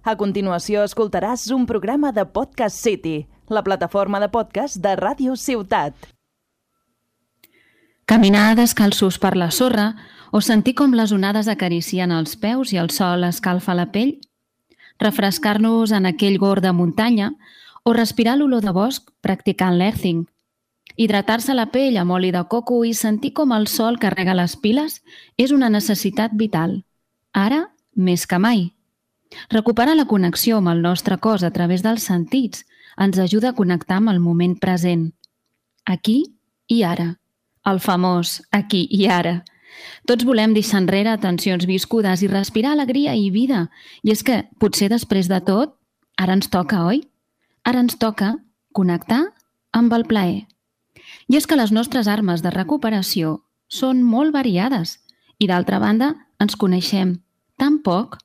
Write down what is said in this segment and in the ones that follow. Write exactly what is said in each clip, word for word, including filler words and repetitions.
A continuació escoltaràs un programa de Podcast City, la plataforma de podcast de Ràdio Ciutat. Caminar descalços per la sorra o sentir com les onades acaricien els peus i el sol escalfa la pell, refrescar-nos en aquell gord de muntanya o respirar l'olor de bosc practicant l'earthing, hidratar-se la pell amb oli de coco i sentir com el sol carrega les piles és una necessitat vital, ara més que mai. Recuperar la connexió amb el nostre cos a través dels sentits ens ajuda a connectar amb el moment present, aquí i ara, el famós aquí i ara. Tots volem deixar enrere tensions viscudes i respirar alegria i vida, i és que potser després de tot, ara ens toca, oi? Ara ens toca connectar amb el plaer. I és que les nostres armes de recuperació són molt variades i, d'altra banda, ens coneixem tan poc.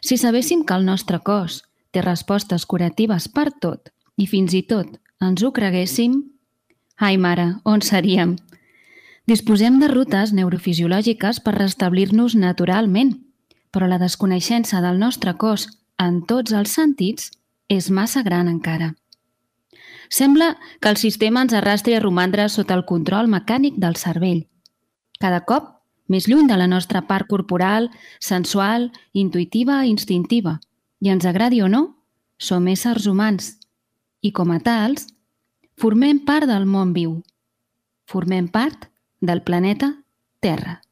Si sabéssim que el nostre cos té respostes curatives per tot i fins i tot ens ho creguéssim, ai mare, on seríem? Disposem de rutes neurofisiològiques per restablir-nos naturalment, però la desconeixença del nostre cos en tots els sentits és massa gran encara. Sembla que el sistema ens arrastri a romandre sota el control mecànic del cervell, cada cop més lluny de la nostra part corporal, sensual, intuïtiva i instintiva. I ens agradi o no, som éssers humans i, com a tals, formem part del món viu. Formem part del planeta Terra.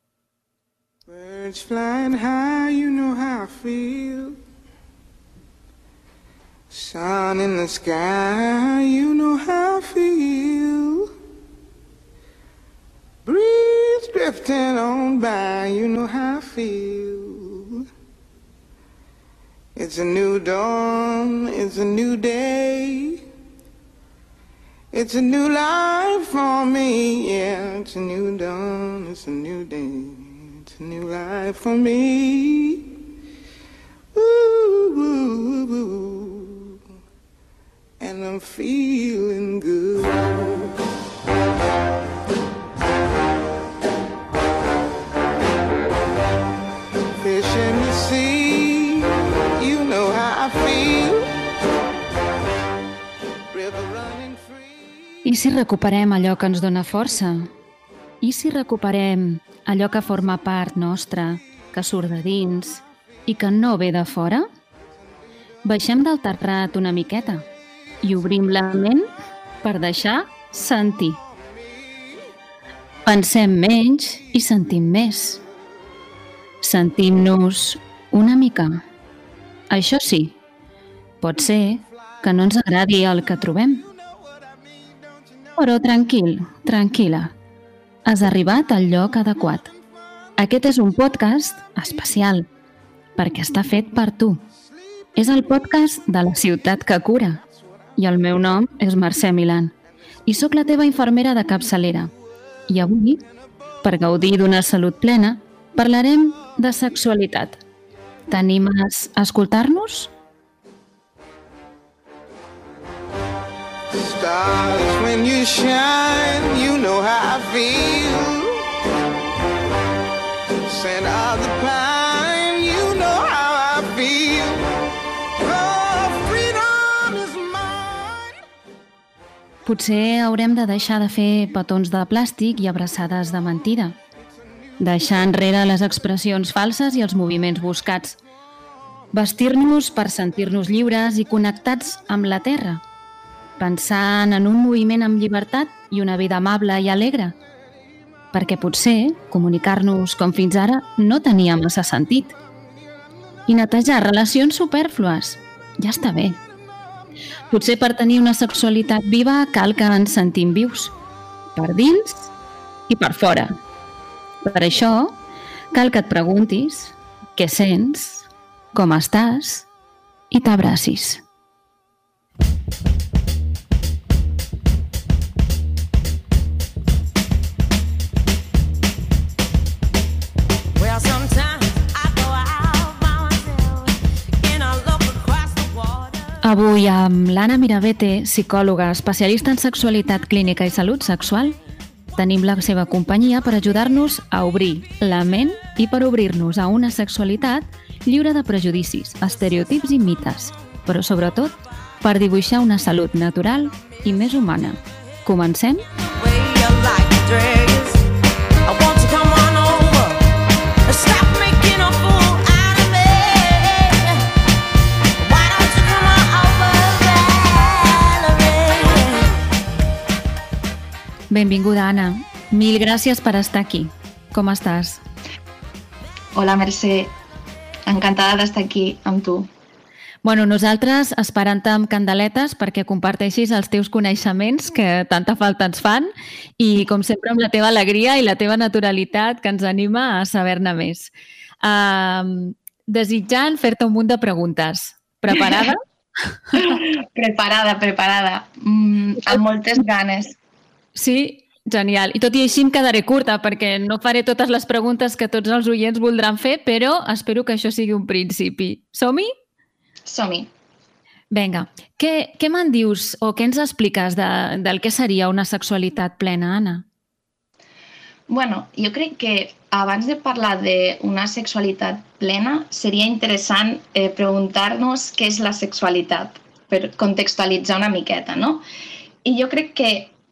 Birds flying high, you know how I feel. Sun in the sky, you know how I feel. Breeze drifting on by, you know how I feel. It's a new dawn, it's a new day. It's a new life for me, yeah. It's a new dawn, it's a new day. It's a new life for me. Ooh, ooh, ooh. And I'm feeling good. Fish in the sea, you know how I feel. River running free. I si recuperem allò que ens dona força? I si recuperem allò que forma part nostra, que surt de dins i que no ve de fora? Baixem del terrat una miqueta i obrim la ment per deixar sentir. Pensem menys i sentim més. Sentim-nos una mica. Això sí, pot ser que no ens agradi el que trobem. Però tranquil, tranquil·la, has arribat al lloc adequat. Aquest és un podcast especial, perquè està fet per tu. És el podcast de la ciutat que cura. I el meu nom és Mercè Milán. I sóc la teva infermera de capçalera. I avui, per gaudir d'una salut plena, parlarem de sexualitat. T'animes a escoltar-nos? Stars, when you shine, you know how I feel. Scent of the pine, you know how I feel. Oh, freedom is mine. Potser haurem de deixar de fer petons de plàstic i abraçades de mentida. Deixar enrere les expressions falses i els moviments buscats. Vestir-nos per sentir-nos lliures i connectats amb la terra. Pensant en un moviment amb llibertat i una vida amable i alegre. Perquè potser comunicar-nos com fins ara no tenia massa sentit. I netejar relacions supèrflues. Ja està bé. Potser per tenir una sexualitat viva cal que ens sentim vius. Per dins i per fora. Per això cal que et preguntis què sents, com estàs i t'abracis. Avui amb l'Anna Mirabete, psicòloga especialista en sexualitat clínica i salut sexual, tenim la seva companyia per ajudar-nos a obrir la ment i per obrir-nos a una sexualitat lliure de prejudicis, estereotips i mites, però sobretot per dibuixar una salut natural i més humana. Comencem? Benvinguda, Anna. Mil gràcies per estar aquí. Com estàs? Hola, Mercè. Encantada d'estar aquí amb tu. Bueno, nosaltres esperant-te amb candeletes perquè comparteixis els teus coneixements que tanta falta ens fan i, com sempre, amb la teva alegria i la teva naturalitat que ens anima a saber-ne més. Uh, desitjant fer-te un munt de preguntes. Preparada? preparada, preparada. Mm, amb moltes ganes. Sí? Genial. I tot i així em quedaré curta perquè no faré totes les preguntes que tots els oients voldran fer, però espero que això sigui un principi. Som-hi? Som-hi. Vinga. Què, què me'n dius o què ens expliques de, del que seria una sexualitat plena, Anna? Bueno, jo crec que abans de parlar d'una sexualitat plena seria interessant eh, preguntar-nos què és la sexualitat, per contextualitzar una miqueta, no? I jo crec que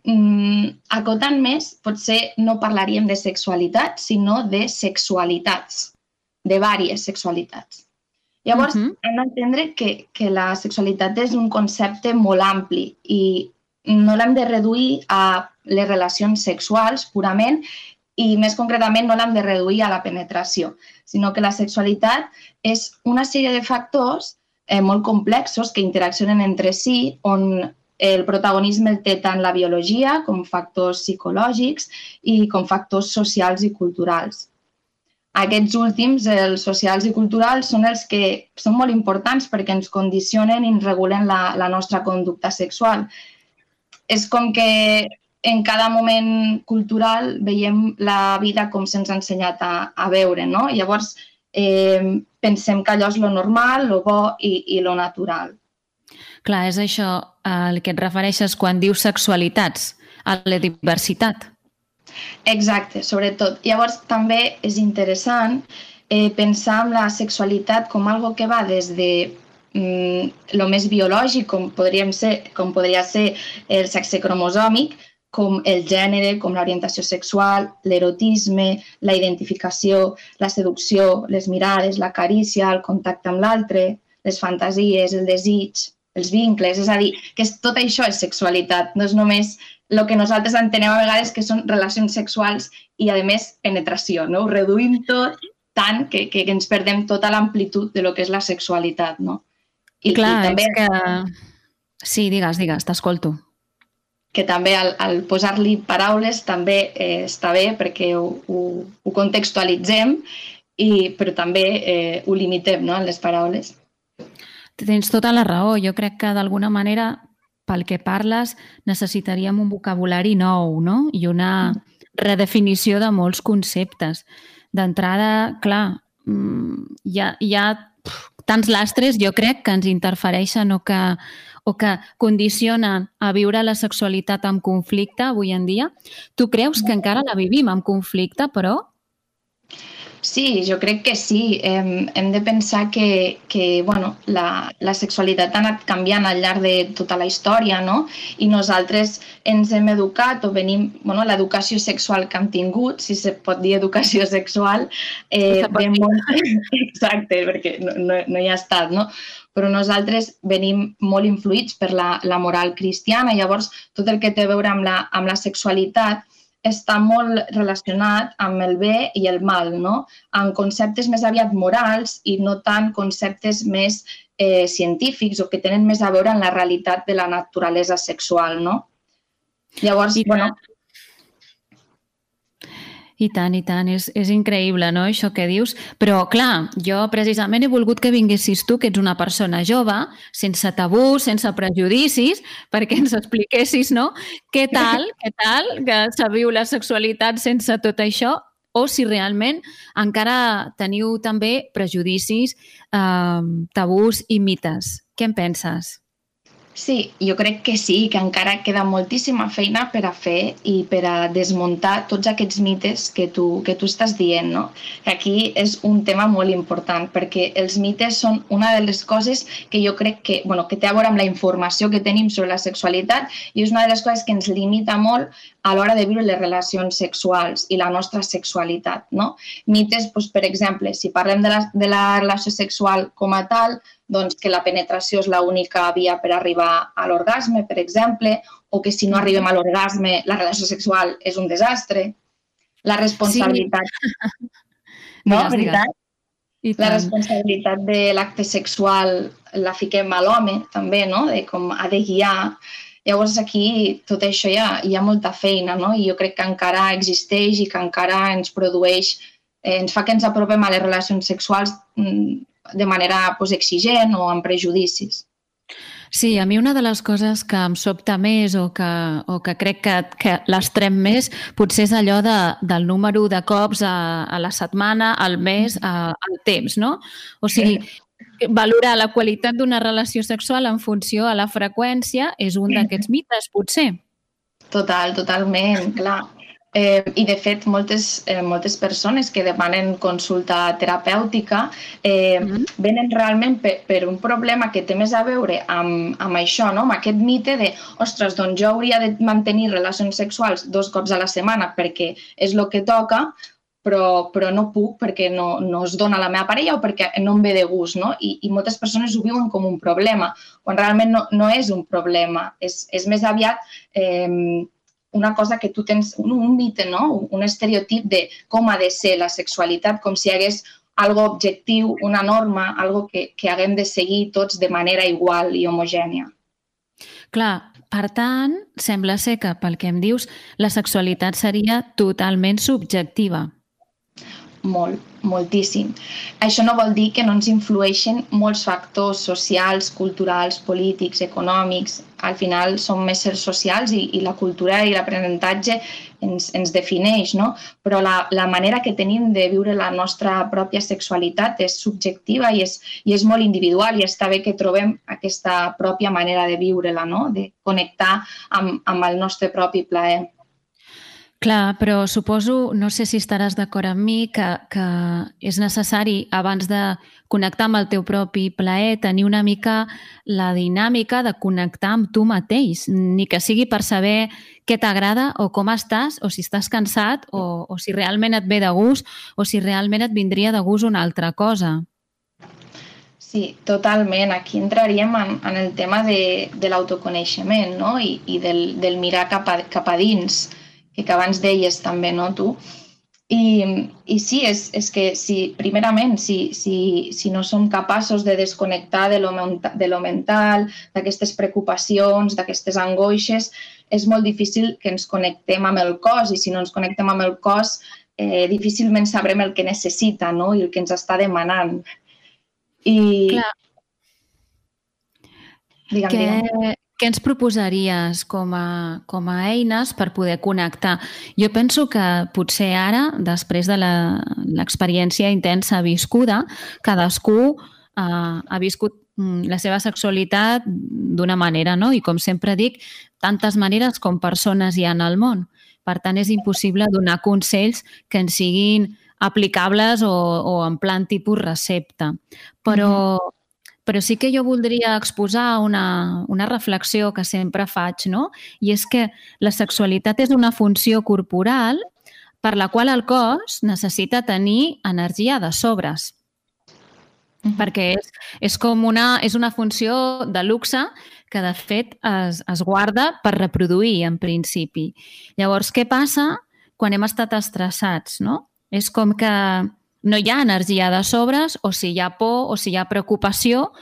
Mm, acotant més, potser no parlaríem de sexualitat, sinó de sexualitats, de diverses sexualitats. Llavors, uh-huh. hem d'entendre que, que la sexualitat és un concepte molt ampli i no l'hem de reduir a les relacions sexuals purament i, més concretament, no l'hem de reduir a la penetració, sinó que la sexualitat és una sèrie de factors eh, molt complexos que interaccionen entre si, on el protagonisme el té tant la biologia com factors psicològics i com factors socials i culturals. Aquests últims, els socials i culturals, són els que són molt importants perquè ens condicionen i ens regulen la, la nostra conducta sexual. És com que en cada moment cultural veiem la vida com se'ns ha ensenyat a, a veure, no? Llavors, eh, pensem que allò és lo normal, lo bo i, i lo natural. Clar, és això al que et refereixes quan dius sexualitats, a la diversitat. Exacte, sobretot. Llavors, també és interessant eh, pensar en la sexualitat com algo que va des de mm, lo més biològic, com, podríem ser, com podria ser el sexe cromosòmic, com el gènere, com l'orientació sexual, l'erotisme, la identificació, la seducció, les mirades, la carícia, el contacte amb l'altre, les fantasies, el desig, els vincles, és a dir, que tot això és sexualitat, no és només el que nosaltres entenem a vegades que són relacions sexuals i, a més, penetració, no? Ho reduïm tot tant que, que ens perdem tota l'amplitud de lo que és la sexualitat, no? I, Clar, i també, és que... Sí, digues, digues, t'escolto. Que també al, al posar-li paraules també eh, està bé perquè ho, ho, ho contextualitzem, i, però també eh, ho limitem, no?, en les paraules. Tens tota la raó. Jo crec que d'alguna manera, pel que parles, necessitaríem un vocabulari nou, no? I una redefinició de molts conceptes. D'entrada, clar, hi ha, hi ha tants lastres, jo crec, que ens interfereixen o que, o que condicionen a viure la sexualitat amb conflicte avui en dia. Tu creus que encara la vivim amb conflicte, però? Sí, jo crec que sí. Hem, hem de pensar que, que bueno, la, la sexualitat ha anat canviant al llarg de tota la història, no? I nosaltres ens hem educat o venim... Bueno, l'educació sexual que hem tingut, si se pot dir educació sexual, eh, ve molt... Exacte, perquè no, no, no hi ha estat, no? Però nosaltres venim molt influïts per la, la moral cristiana. Llavors, tot el que té a veure amb la, amb la sexualitat està molt relacionat amb el bé i el mal, no? Amb conceptes més aviat morals i no tant conceptes més eh, científics o que tenen més a veure amb la realitat de la naturalesa sexual, no? Llavors, I bueno... I tant, i tant. És, és increïble, no?, això que dius. Però, clar, jo precisament he volgut que vinguessis tu, que ets una persona jove, sense tabús, sense prejudicis, perquè ens expliquessis, no?, què tal, què tal que se viu la sexualitat sense tot això, o si realment encara teniu també prejudicis, eh, tabús i mites. Què en penses? Sí, jo crec que sí, que encara queda moltíssima feina per a fer i per a desmuntar tots aquests mites que tu, que tu estàs dient, no? Aquí és un tema molt important, perquè els mites són una de les coses que jo crec que, bueno, que té a veure amb la informació que tenim sobre la sexualitat i és una de les coses que ens limita molt a l'hora de viure les relacions sexuals i la nostra sexualitat, no? Mites, doncs, per exemple, si parlem de la, de la relació sexual com a tal, doncs que la penetració és l'única via per arribar a l'orgasme, per exemple, o que si no arribem a l'orgasme la relació sexual és un desastre. La responsabilitat... Sí. No, digues, veritat? Digues. La responsabilitat de l'acte sexual la fiquem a l'home, també, no? De com ha de guiar. Llavors aquí tot això hi ha, hi ha molta feina, no? I jo crec que encara existeix i que encara ens produeix, eh, ens fa que ens apropem a les relacions sexuals de manera pues, exigent o amb prejudicis. Sí, a mi una de les coses que em sobta més o que, o que crec que, que l'estrem més potser és allò de, del número de cops a, a la setmana, al mes, a, al temps, no? O sigui, valorar la qualitat d'una relació sexual en funció a la freqüència és un d'aquests mites, potser. Total, totalment, clar. Eh, I, de fet, moltes, eh, moltes persones que demanen consulta terapèutica eh, mm. venen realment per, per un problema que té més a veure amb, amb això, no? Amb aquest mite de, ostres, doncs jo hauria de mantenir relacions sexuals dos cops a la setmana perquè és el que toca, però, però no puc perquè no, no es dona la meva parella o perquè no em ve de gust, no? I, i moltes persones ho viuen com un problema, quan realment no, no és un problema, és, és més aviat... Eh, una cosa que tu tens, un, un mite, no? Un estereotip de com ha de ser la sexualitat, com si hi hagués algo objectiu, una norma, algo que, que haguem de seguir tots de manera igual i homogènia. Clar, per tant, sembla ser que, pel que em dius, la sexualitat seria totalment subjectiva. Molt, moltíssim. Això no vol dir que no ens influeixen molts factors socials, culturals, polítics, econòmics. Al final som éssers socials i, i la cultura i l'aprenentatge ens, ens defineix, no? Però la, la manera que tenim de viure la nostra pròpia sexualitat és subjectiva i és, i és molt individual i està bé que trobem aquesta pròpia manera de viure-la, no? De connectar amb, amb el nostre propi plaer. Clar, però suposo, no sé si estaràs d'acord amb mi, que, que és necessari, abans de connectar amb el teu propi plaer, tenir una mica la dinàmica de connectar amb tu mateix, ni que sigui per saber què t'agrada o com estàs, o si estàs cansat, o, o si realment et ve de gust, o si realment et vindria de gust una altra cosa. Sí, totalment. Aquí entraríem en, en el tema de, de l'autoconeixement, no? I, i del, del mirar cap a, cap a dins, que abans deies també, no, tu? I, i sí, és, és que si, primerament, si, si, si no som capaços de desconnectar de lo, de lo mental, d'aquestes preocupacions, d'aquestes angoixes, és molt difícil que ens connectem amb el cos i si no ens connectem amb el cos, eh, difícilment sabrem el que necessita, no? I el que ens està demanant. I... Clar. Digue'm, que... digue'm. Què ens proposaries com a, com a eines per poder connectar? Jo penso que potser ara, després de l'experiència intensa viscuda, cadascú eh, ha viscut la seva sexualitat d'una manera, no? I com sempre dic, tantes maneres com persones hi ha al món. Per tant, és impossible donar consells que ens siguin aplicables o, o en plan tipus recepta. Però... Mm. Però sí que jo voldria exposar una, una reflexió que sempre faig, no? I és que la sexualitat és una funció corporal per la qual el cos necessita tenir energia de sobres. Uh-huh. Perquè és, és com una, és una funció de luxe que, de fet, es, es guarda per reproduir, en principi. Llavors, què passa quan hem estat estressats, no? És com que... no hi ha energia de sobres, o si hi ha por o si hi ha preocupació,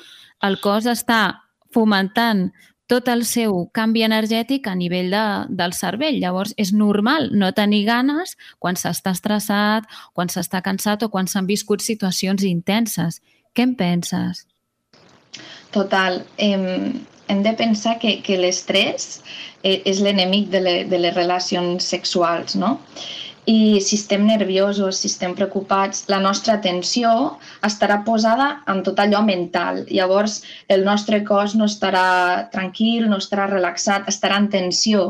el cos està fomentant tot el seu canvi energètic a nivell de, del cervell. Llavors, és normal no tenir ganes quan s'està estressat, quan s'està cansat o quan s'han viscut situacions intenses. Què en penses? Total. Eh, hem de pensar que, que l'estrès és l'enemic de, le, de les relacions sexuals, no? I si estem nerviosos, si estem preocupats, la nostra atenció estarà posada en tot allò mental. Llavors, el nostre cos no estarà tranquil, no estarà relaxat, estarà en tensió.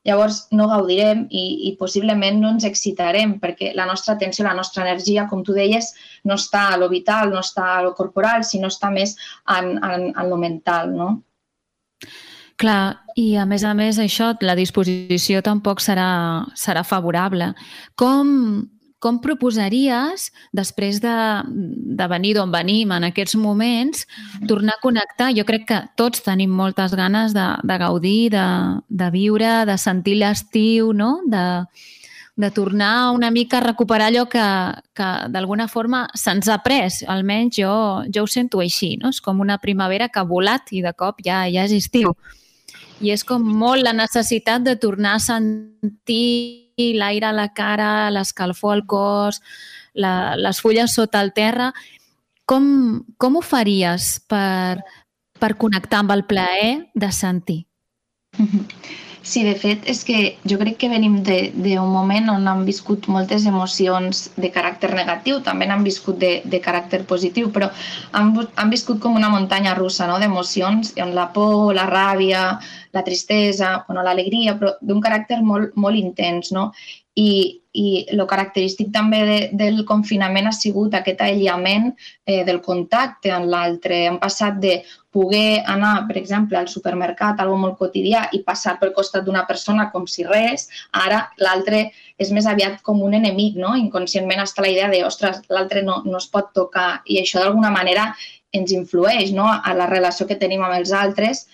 Llavors, no gaudirem i, i possiblement no ens excitarem perquè la nostra atenció, la nostra energia, com tu deies, no està a lo vital, no està a lo corporal, sinó està més en, en, en lo mental, no? Clar, i a més a més això, la disposició tampoc serà, serà favorable. Com, com proposaries, després de, de venir d'on venim en aquests moments, tornar a connectar? Jo crec que tots tenim moltes ganes de, de gaudir, de, de viure, de sentir l'estiu, no? De, de tornar una mica a recuperar allò que, que d'alguna forma se'ns ha pres. Almenys jo, jo ho sento així, no? És com una primavera que ha volat i de cop ja, ja és estiu. I és com molt la necessitat de tornar a sentir l'aire a la cara, l'escalfor al cos, la, les fulles sota el terra. Com, com ho faries per, per connectar amb el plaer de sentir? Sí, de fet, és que jo crec que venim d'un moment on han viscut moltes emocions de caràcter negatiu, també n'han viscut de, de caràcter positiu, però han, han viscut com una muntanya russa, no?, d'emocions, on la por, la ràbia, la tristesa, bueno, l'alegria, però d'un caràcter molt, molt intens, no? I, i el característic també de, del confinament ha sigut aquest aïllament eh, del contacte amb l'altre. Hem passat de poder anar, per exemple, al supermercat, algo molt quotidià, i passar pel costat d'una persona com si res, ara l'altre és més aviat com un enemic, no? Inconscientment està la idea de, ostres, l'altre no, no es pot tocar, i això d'alguna manera ens influeix, no?, a la relació que tenim amb els altres,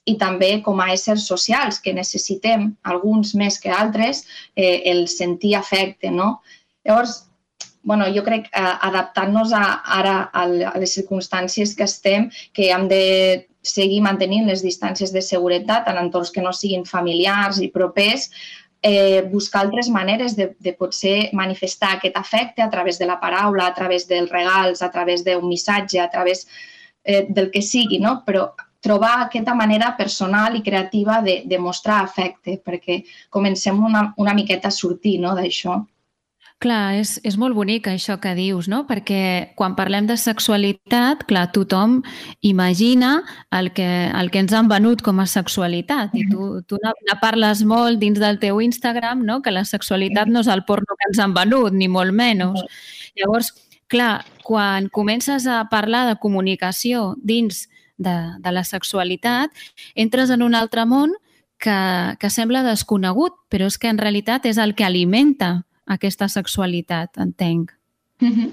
i també com a éssers socials, que necessitem, alguns més que altres, eh, el sentir afecte, no? Llavors, bueno, jo crec que eh, adaptant-nos a, ara a les circumstàncies que estem, que hem de seguir mantenint les distàncies de seguretat en entorns que no siguin familiars i propers, eh, buscar altres maneres de, de potser manifestar aquest afecte a través de la paraula, a través dels regals, a través d'un missatge, a través eh, del que sigui, no? Però trobar aquesta manera personal i creativa de, de mostrar afecte, perquè comencem una, una miqueta a sortir, no?, d'això. Clar, és, és molt bonic això que dius, no? Perquè quan parlem de sexualitat, clar, tothom imagina el que, el que ens han venut com a sexualitat, i tu, tu ne parles molt dins del teu Instagram, no?, que la sexualitat no és el porno que ens han venut, ni molt menys. Llavors, clar, quan comences a parlar de comunicació dins De, de la sexualitat, entres en un altre món que, que sembla desconegut, però és que en realitat és el que alimenta aquesta sexualitat, entenc. Mm-hmm.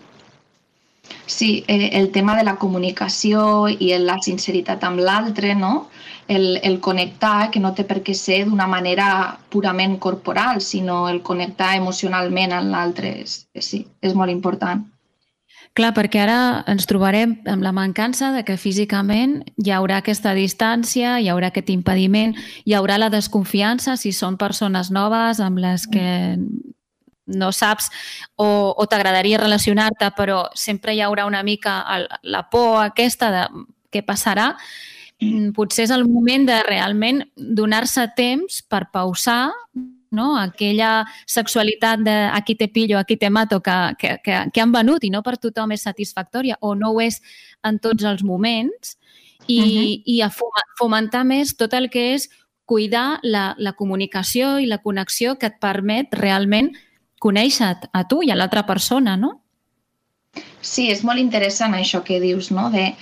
Sí, eh, el tema de la comunicació i la sinceritat amb l'altre, no? El, el connectar, que no té per què ser d'una manera purament corporal, sinó el connectar emocionalment amb l'altre, sí, és molt important. Clar, perquè ara ens trobarem amb la mancança de que físicament hi haurà aquesta distància, hi haurà aquest impediment, hi haurà la desconfiança si són persones noves amb les que no saps o, o t'agradaria relacionar-te, però sempre hi haurà una mica el, la por aquesta de què passarà. Potser és el moment de realment donar-se temps per pausar, no? Aquella sexualitat de aquí te pillo, aquí te mato que, que, que, que han venut i no per tothom és satisfactòria o no ho és en tots els moments i, uh-huh. i a fomentar més tot el que és cuidar la, la comunicació i la connexió que et permet realment conèixer-te a tu i a l'altra persona, no? Sí, és molt interessant això que dius, no? De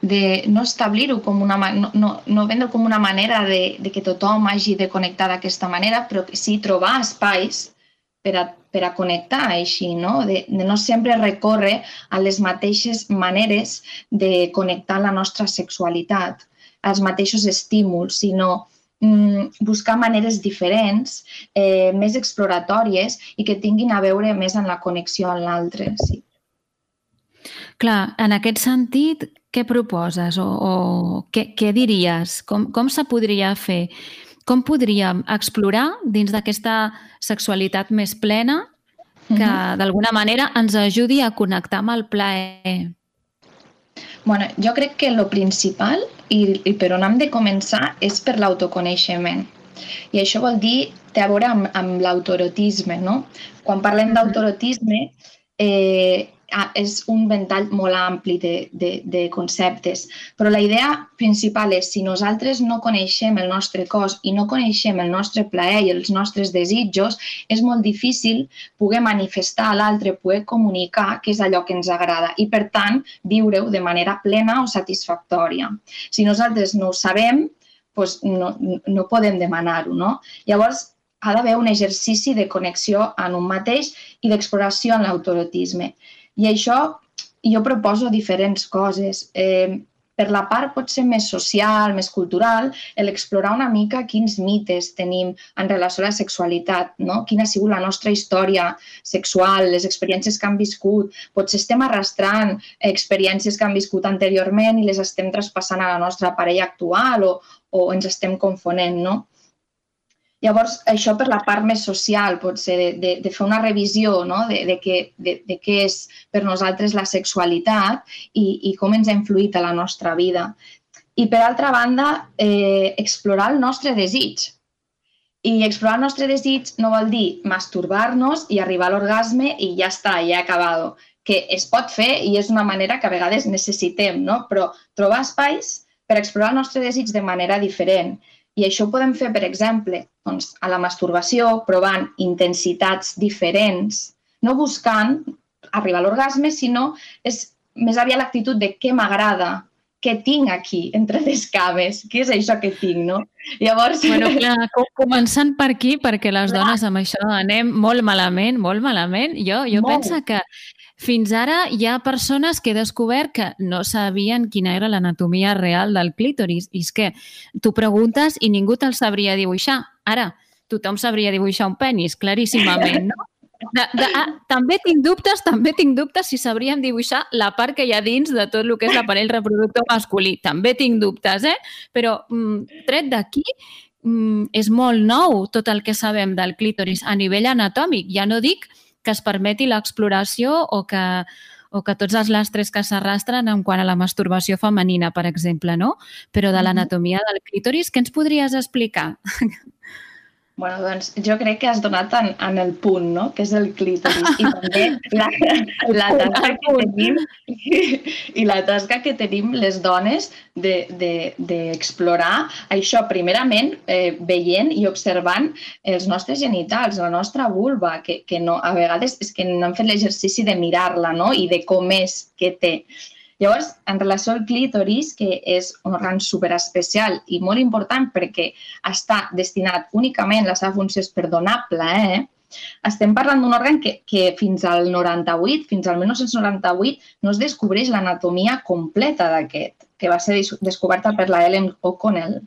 de no establir-ho com una no, no, no vendre com una manera de, de que tothom hagi de connectar d'aquesta manera, però sí trobar espais per a, per a connectar així, no? De, de no sempre recórrer a les mateixes maneres de connectar la nostra sexualitat, als mateixos estímuls, sinó mm, buscar maneres diferents, eh, més exploratòries i que tinguin a veure més amb la connexió amb l'altre, sí. Clar, en aquest sentit, què proposes o, o què, què diries? Com, com se podria fer? Com podríem explorar dins d'aquesta sexualitat més plena que uh-huh. d'alguna manera ens ajudi a connectar amb el plaer? Bueno, jo crec que el principal i, i per on hem de començar és per l'autoconeixement. I això vol dir, té a veure amb, amb l'autoerotisme, no? Quan parlem d'autoerotisme, eh, és un ventall molt ampli de, de, de conceptes, però la idea principal és si nosaltres no coneixem el nostre cos i no coneixem el nostre plaer i els nostres desitjos, és molt difícil poder manifestar a l'altre, poder comunicar què és allò que ens agrada i, per tant, viure-ho de manera plena o satisfactòria. Si nosaltres no ho sabem, doncs no, no podem demanar-ho, no? Llavors, ha d'haver un exercici de connexió en un mateix i d'exploració en l'autoerotisme. I això jo proposo diferents coses. Eh, per la part potser més social, més cultural, l'explorar una mica quins mites tenim en relació a la sexualitat, no? Quina ha sigut la nostra història sexual, les experiències que han viscut. Potser estem arrastrant experiències que han viscut anteriorment i les estem traspassant a la nostra parella actual o, o ens estem confonent, no? Llavors, això per la part més social, potser, de, de, de fer una revisió, no? de, de, què, de, de què és per nosaltres la sexualitat i, i com ens ha influït a la nostra vida. I, per altra banda, eh, explorar el nostre desig. I explorar el nostre desig no vol dir masturbar-nos i arribar a l'orgasme i ja està, ja he acabat. Que es pot fer i és una manera que a vegades necessitem, no? Però trobar espais per explorar el nostre desig de manera diferent. I això ho podem fer, per exemple, doncs, a la masturbació, provant intensitats diferents, no buscant arribar a l'orgasme, sinó és més aviat l'actitud de què m'agrada, què tinc aquí, entre les cames, què és això que tinc, no? Llavors... Bueno, clar, començant per aquí, perquè les dones amb això anem molt malament, molt malament. Jo, jo penso que fins ara hi ha persones que he descobert que no sabien quina era l'anatomia real del clítoris. I és que tu preguntes i ningú te'l sabria dibuixar. Ara, tothom sabria dibuixar un penis, claríssimament, no? De, de, ah, també tinc dubtes, també tinc dubtes si sabríem dibuixar la part que hi ha dins de tot el que és l'aparell reproductor masculí. També tinc dubtes, eh? Però mm, tret d'aquí, mm, és molt nou tot el que sabem del clítoris a nivell anatòmic. Ja no dic que es permeti l'exploració o que, o que tots els lastres que s'arrastren en quant a la masturbació femenina, per exemple, no? Però de l'anatomia del clítoris, què ens podries explicar? Bueno, doncs jo crec que has donat en, en el punt, no? Que és el clítoris. I també la, la tasca que tenim i la tasca que tenim les dones d'explorar de, de, això, primerament, eh, veient i observant els nostres genitals, la nostra vulva, que, que no, a vegades és que no hem fet l'exercici de mirar-la, no? I de com és, què té. Llavors, en relació al clítoris, que és un òrgan superespecial i molt important perquè està destinat únicament, la seva funció és per donar plaer, estem parlant d'un òrgan que, que fins al noranta-vuit, fins al mil nou-cents noranta-vuit, no es descobreix l'anatomia completa d'aquest, que va ser descoberta per la Ellen O'Connell.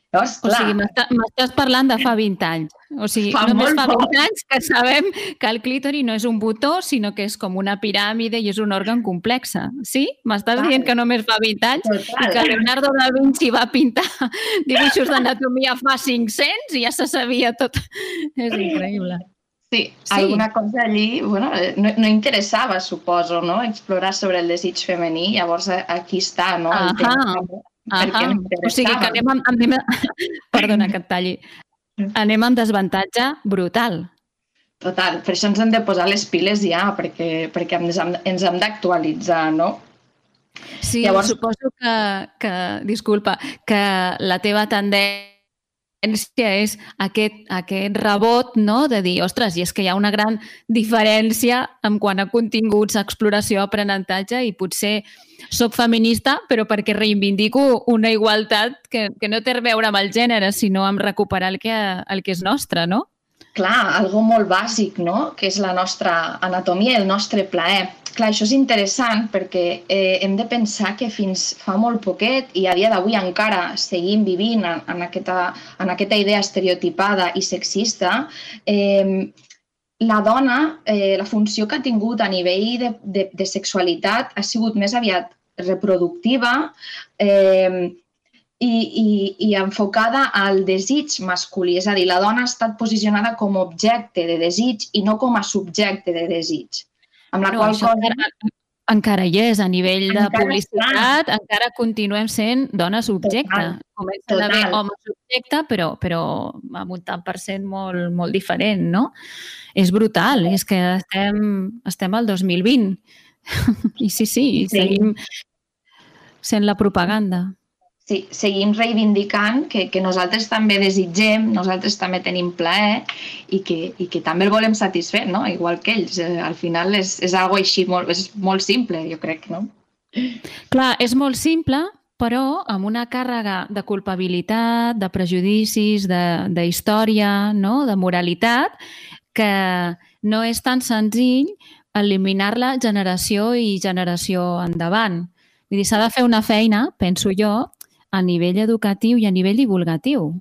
Llavors, o sigui, m'estàs parlant de fa vint anys. O sigui, fa només fa vint anys que sabem que el clítori no és un botó, sinó que és com una piràmide i és un òrgan complex. Sí? M'estàs dient que només fa vint anys Total. I que Leonardo da Vinci va pintar dibuixos d'anatomia fa cinc-cents i ja se sabia tot. És increïble. Sí, sí, alguna cosa allí bueno, no, no interessava, suposo, no? Explorar sobre el desig femení. Llavors, aquí està, no? El tema. Ahà. O sigui que anem amb, anem, perdona que et talli, anem amb desavantatge brutal. Total, per això ens hem de posar les piles ja, perquè, perquè ens hem d'actualitzar, no? Sí, Llavors... suposo que, que, disculpa, que la teva tendència és aquest, aquest rebot, no? De dir, ostres, i és que hi ha una gran diferència en quant a continguts, exploració, aprenentatge i potser soc feminista però perquè reivindico una igualtat que, que no té a veure amb el gènere, sinó amb recuperar el que, el que és nostre, no? Clar, algo molt bàsic, no? Que és la nostra anatomia i el nostre plaer. Clar, això és interessant perquè eh, hem de pensar que fins fa molt poquet i a dia d'avui encara seguim vivint en, en, aquesta, en aquesta idea estereotipada i sexista. Eh, la dona, eh, la funció que ha tingut a nivell de, de, de sexualitat ha sigut més aviat reproductiva, eh, I, i, i enfocada al desig masculí. És a dir, la dona ha estat posicionada com a objecte de desig i no com a subjecte de desig. Amb la no, qual cosa... encara hi és, a nivell de Encara publicitat, encara continuem sent dones objecte. Total, Comencen a haver total. homes objecte, però, però amb un tant per cent molt, molt diferent, no? És brutal, és que estem, estem al dos mil vint. I sí, sí, Sí. seguim sent la propaganda. Sí, seguim reivindicant que, que nosaltres també desitgem, nosaltres també tenim plaer i que, i que també el volem satisfer, no? Igual que ells. Eh, al final és, és algo així, molt, és molt simple, jo crec, no? Clar, és molt simple, però amb una càrrega de culpabilitat, de prejudicis, de, de història, no? De moralitat, que no és tan senzill eliminar-la generació i generació endavant. Vull dir, s'ha de fer una feina, penso jo, a nivell educatiu i a nivell divulgatiu.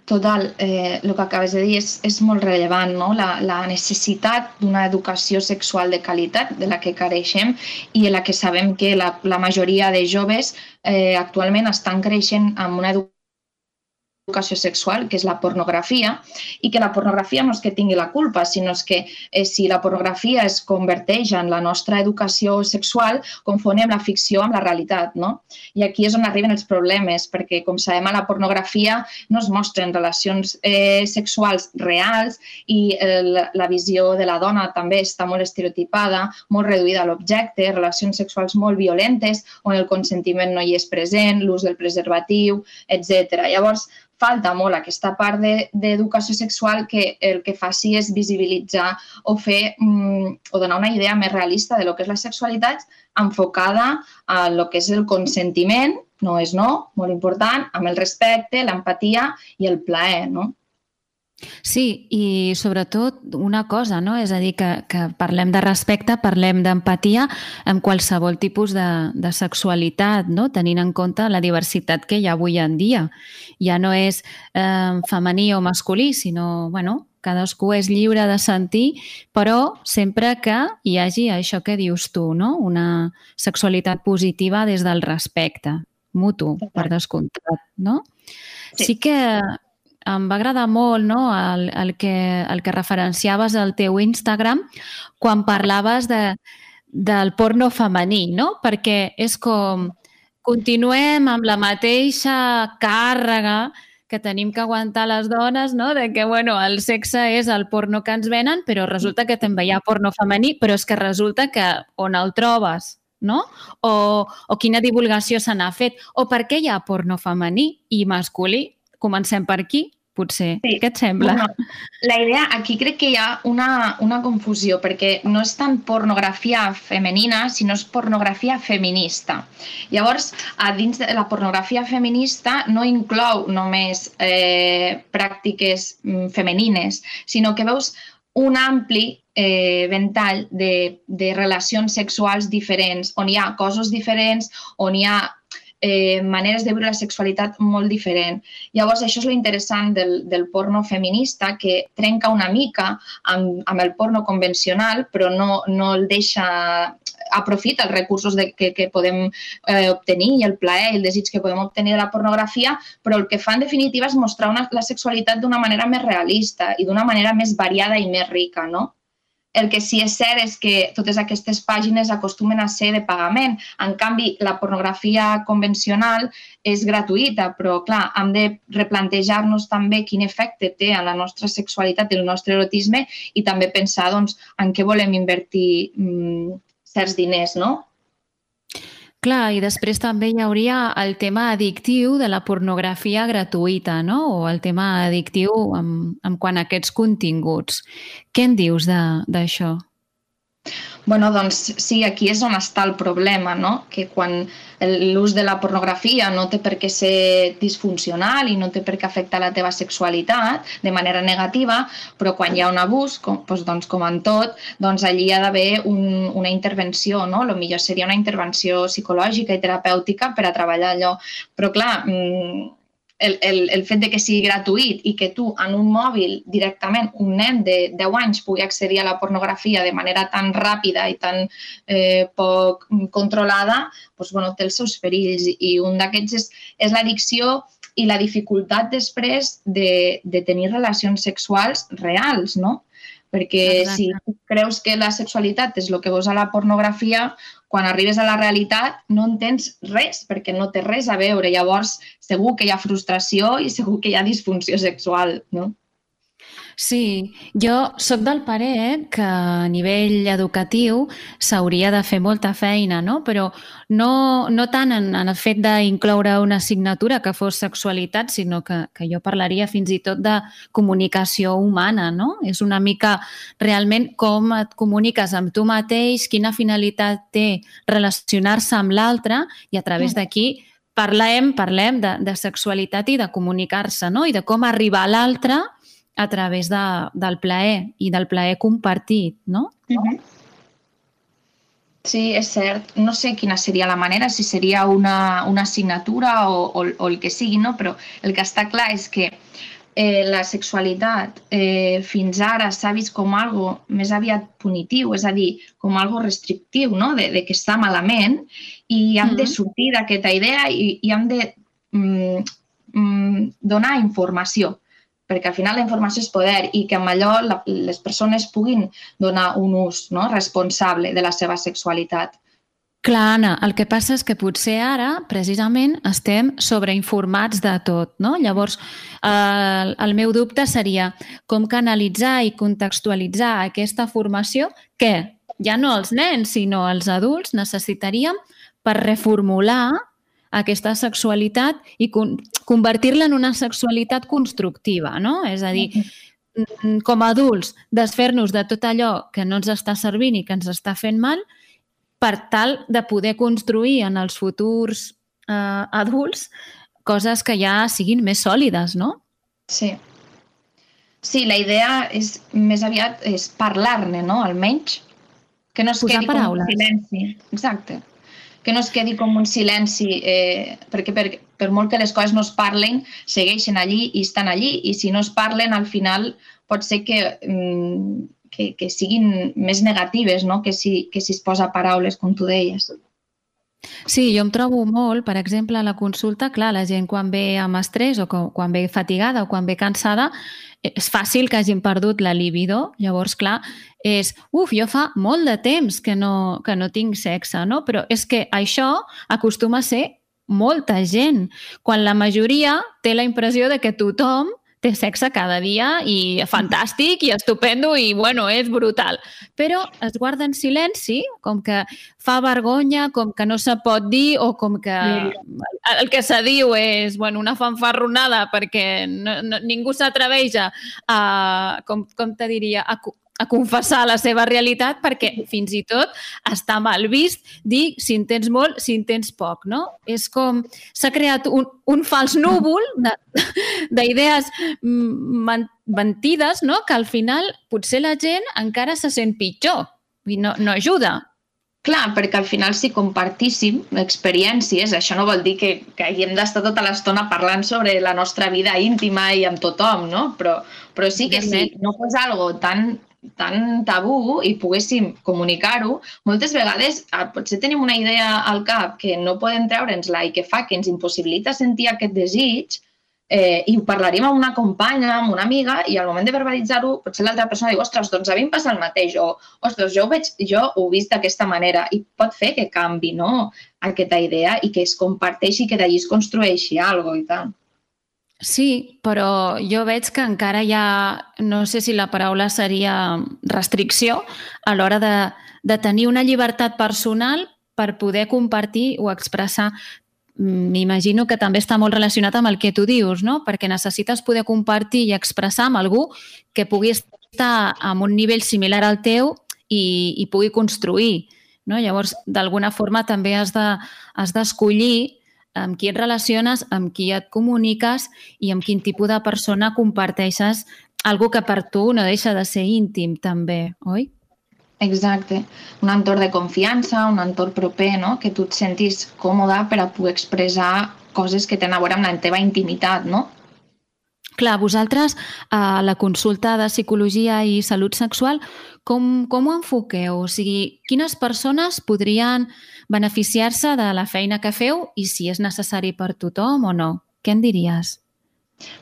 Total, eh, el que acabes de dir és, és molt rellevant, no? La, la necessitat d'una educació sexual de qualitat de la que careixem i en la que sabem que la, la majoria de joves eh, actualment estan creixent amb una educació educació sexual, que és la pornografia, i que la pornografia no és que tingui la culpa, sinó que eh, si la pornografia es converteix en la nostra educació sexual, confonem la ficció amb la realitat, no? I aquí és on arriben els problemes, perquè, com sabem, a la pornografia no es mostren relacions eh, sexuals reals i eh, la, la visió de la dona també està molt estereotipada, molt reduïda a l'objecte, relacions sexuals molt violentes, on el consentiment no hi és present, l'ús del preservatiu, etcètera. Llavors, falta molt aquesta part d'educació sexual que el que faci és visibilitzar o fer mm, o donar una idea més realista de lo que és la sexualitat enfocada a lo que és el consentiment, no és no, molt important, amb el respecte, l'empatia i el plaer, no? Sí, i sobretot una cosa, no? És a dir, que, que parlem de respecte, parlem d'empatia en qualsevol tipus de, de sexualitat, no? Tenint en compte la diversitat que hi ha avui en dia. Ja no és eh, femení o masculí, sinó, bueno, cadascú és lliure de sentir, però sempre que hi hagi això que dius tu, no? Una sexualitat positiva des del respecte mutu, per descomptat, no? Sí, sí que em va agradar molt, no? el, el, que, el que referenciaves al teu Instagram quan parlaves de, del porno femení, no? Perquè és com continuem amb la mateixa càrrega que tenim que aguantar les dones, no? De que, bueno, el sexe és el porno que ens venen, però resulta que també hi ha porno femení, però és que resulta que on el trobes, no? O, o quina divulgació se n'ha fet, o per què hi ha porno femení i masculí. Comencem per aquí, potser. Sí. Què et sembla? Bueno, la idea, aquí crec que hi ha una, una confusió, perquè no és tant pornografia femenina, sinó és pornografia feminista. Llavors, a dins de la pornografia feminista no inclou només eh, pràctiques femenines, sinó que veus un ampli eh, ventall de, de relacions sexuals diferents, on hi ha cossos diferents, on hi ha Eh, maneres de viure la sexualitat molt diferent. Llavors, això és lo interessant del, del porno feminista, que trenca una mica amb, amb el porno convencional, però no, no el deixa, aprofita els recursos de, que, que podem eh, obtenir i el plaer i el desig que podem obtenir de la pornografia, però el que fa en definitiva és mostrar una, la sexualitat d'una manera més realista i d'una manera més variada i més rica, no? El que sí és cert és que totes aquestes pàgines acostumen a ser de pagament. En canvi, la pornografia convencional és gratuïta, però, clar, hem de replantejar-nos també quin efecte té en la nostra sexualitat i el nostre erotisme i també pensar, doncs, en què volem invertir mm, certs diners, no? Clar, i després també hi hauria el tema addictiu de la pornografia gratuïta, no? O el tema addictiu en, en quant a aquests continguts. Què en dius d'això? Bueno, doncs sí, aquí és on està el problema, no? Que quan l'ús de la pornografia no té per què ser disfuncional i no té per què afectar la teva sexualitat de manera negativa, però quan hi ha un abús, com, doncs, com en tot, doncs allí hi ha d'haver un, una intervenció, no? El millor seria una intervenció psicològica i terapèutica per a treballar allò. Però clar, El, el, el fet de que sigui gratuït i que tu en un mòbil directament, un nen de deu anys pugui accedir a la pornografia de manera tan ràpida i tan eh, poc controlada, doncs, bueno, té els seus perills i un d'aquests és, és l'addicció i la dificultat després de, de tenir relacions sexuals reals, no? Perquè Exacte. si tu creus que la sexualitat és el que veus a la pornografia, quan arribes a la realitat no entens res, perquè no té res a veure. Llavors, segur que hi ha frustració i segur que hi ha disfunció sexual, no? Sí, jo sóc del parer que a nivell educatiu s'hauria de fer molta feina, no? Però no, no tant en, en el fet d'incloure una assignatura que fos sexualitat, sinó que, que jo parlaria fins i tot de comunicació humana, no? És una mica realment com et comuniques amb tu mateix, quina finalitat té relacionar-se amb l'altre i a través d'aquí parlem, parlem de, de sexualitat i de comunicar-se, no? I de com arribar a l'altre a través de, del plaer i del plaer compartit, no? Uh-huh. Sí, és cert. No sé quina seria la manera, si seria una, una assignatura o, o, o el que sigui, no? Però el que està clar és que eh, la sexualitat eh, fins ara s'ha vist com algo més aviat punitiu, és a dir, com algo restrictiu, no? De, de que està malament, i hem mm-hmm. de sortir d'aquesta idea i, i hem de mm, mm, donar informació, perquè al final la informació és poder i que amb allò la, les persones puguin donar un ús, no? responsable de la seva sexualitat. Clar, Anna, el que passa és que potser ara, precisament, estem sobreinformats de tot, no? Llavors, eh, el meu dubte seria com canalitzar i contextualitzar aquesta formació que ja no els nens, sinó els adults necessitaríem per reformular aquesta sexualitat i con convertir-la en una sexualitat constructiva, no? És a dir, com a adults, desfer-nos de tot allò que no ens està servint i que ens està fent mal per tal de poder construir en els futurs eh, adults coses que ja siguin més sòlides, no? Sí. Sí, la idea és més aviat és parlar-ne, no? Almenys que no es Posar quedi paraules. com un silenci. Exacte. Que no es quedi com un silenci, eh, perquè per, per molt que les coses no es parlen, segueixen allí i estan allí, i si no es parlen, al final pot ser que, mm, que, que siguin més negatives, no? que, si, que si es posa paraules, com tu deies. Sí, jo em trobo molt, per exemple, a la consulta, clar, la gent quan ve amb estrès o quan ve fatigada o quan ve cansada, és fàcil que hagin perdut la libido, llavors, clar, és, uf, jo fa molt de temps que no, que no tinc sexe, no? Però és que això acostuma a ser molta gent, quan la majoria té la impressió de que tothom té sexe cada dia i fantàstic i estupendo i, bueno, és brutal. Però es guarda en silenci, com que fa vergonya, com que no se pot dir o com que el que se diu és, bueno, una fanfarronada perquè no, no, ningú s'atreveix a, a, com, com te diria, a, a confessar la seva realitat perquè fins i tot està mal vist dir si en tens molt, si en tens poc, no? És com s'ha creat un, un fals núvol d'idees mentides, no? Que al final potser la gent encara se sent pitjor i no, no ajuda. Clar, perquè al final si compartíssim experiències, això no vol dir que, que haguem d'estar tota l'estona parlant sobre la nostra vida íntima i amb tothom, no? Però, però sí que si no fos algo tan tan tabú i poguéssim comunicar-ho, moltes vegades potser tenim una idea al cap que no podem treure'ns-la i que fa que ens impossibilita sentir aquest desig eh, i ho parlaríem amb una companya, amb una amiga i al moment de verbalitzar-ho potser l'altra persona diu ostres, doncs a mi em passa el mateix o ostres, jo ho, veig, jo ho he vist d'aquesta manera i pot fer que canvi, no? Aquesta idea i que es comparteixi i que d'allí es construeixi alguna cosa i tant. Sí, però jo veig que encara hi ha, no sé si la paraula seria restricció, a l'hora de, de tenir una llibertat personal per poder compartir o expressar. M'imagino que també està molt relacionat amb el que tu dius, no? Perquè necessites poder compartir i expressar amb algú que pugui estar en un nivell similar al teu i, i pugui construir, no? Llavors, d'alguna forma també has de, has d'escollir amb qui et relaciones, amb qui et comuniques i amb quin tipus de persona comparteixes algo que per tu no deixa de ser íntim també, oi? Exacte. Un entorn de confiança, un entorn proper, no? Que tu et sentis còmode per a poder expressar coses que tenen a veure amb la teva intimitat, no? Clar, vosaltres a la consulta de psicologia i salut sexual, com, com ho enfoqueu? O sigui, quines persones podrien beneficiar-se de la feina que feu i si és necessari per tothom o no? Què en diries?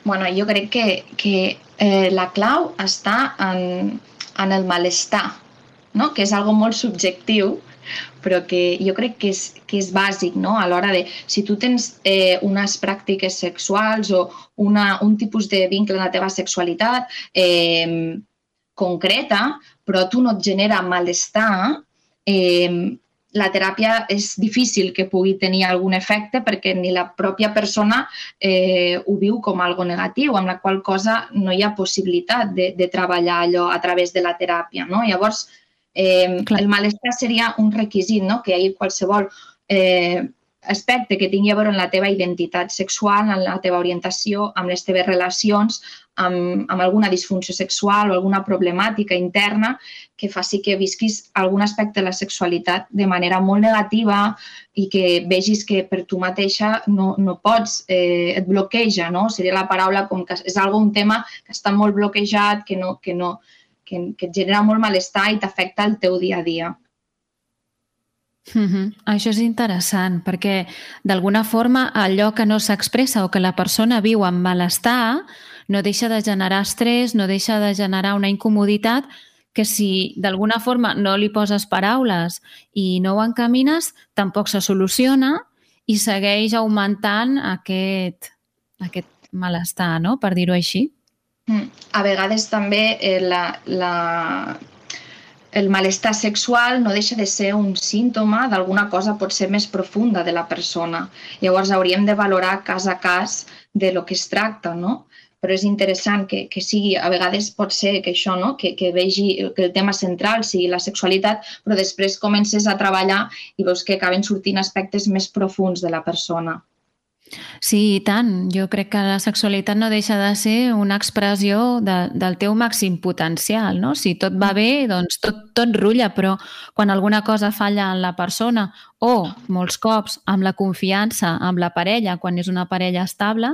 Bueno, jo crec que, que eh, la clau està en, en el malestar, no? Que és algo molt subjectiu, però que jo crec que és, que és bàsic, no? A l'hora de, si tu tens eh, unes pràctiques sexuals o una, un tipus de vincle en la teva sexualitat eh, concreta, però tu no et genera malestar, eh, la teràpia és difícil que pugui tenir algun efecte perquè ni la pròpia persona eh, ho viu com algo negatiu, amb la qual cosa no hi ha possibilitat de, de treballar allò a través de la teràpia, no? Llavors, eh, el malestar seria un requisit, no? Que hi hagi qualsevol eh, aspecte que tingui a veure amb la teva identitat sexual, amb la teva orientació, amb les teves relacions, amb, amb alguna disfunció sexual o alguna problemàtica interna que faci que visquis algun aspecte de la sexualitat de manera molt negativa i que vegis que per tu mateixa no, no pots, eh, et bloqueja, no? Seria la paraula com que és algo, un tema que està molt bloquejat, que, no, que, no, que, que et genera molt malestar i t'afecta el teu dia a dia. Mm-hmm. Això és interessant, perquè d'alguna forma allò que no s'expressa o que la persona viu amb malestar no deixa de generar estrès, no deixa de generar una incomoditat que si d'alguna forma no li poses paraules i no ho encamines, tampoc se soluciona i segueix augmentant aquest, aquest malestar, no? Per dir-ho així. Mm. A vegades també eh, la... la... el malestar sexual no deixa de ser un símptoma d'alguna cosa potser més profunda de la persona. Llavors hauríem de valorar cas a cas de lo que es tracta, no? Però és interessant que, que sigui, a vegades pot ser que això, no? que, que vegi que el tema central sigui la sexualitat, però després comences a treballar i veus que acaben sortint aspectes més profuns de la persona. Sí, i tant. Jo crec que la sexualitat no deixa de ser una expressió de, del teu màxim potencial, no? Si tot va bé, doncs tot, tot rutlla, però quan alguna cosa falla en la persona o, molts cops, amb la confiança amb la parella, quan és una parella estable,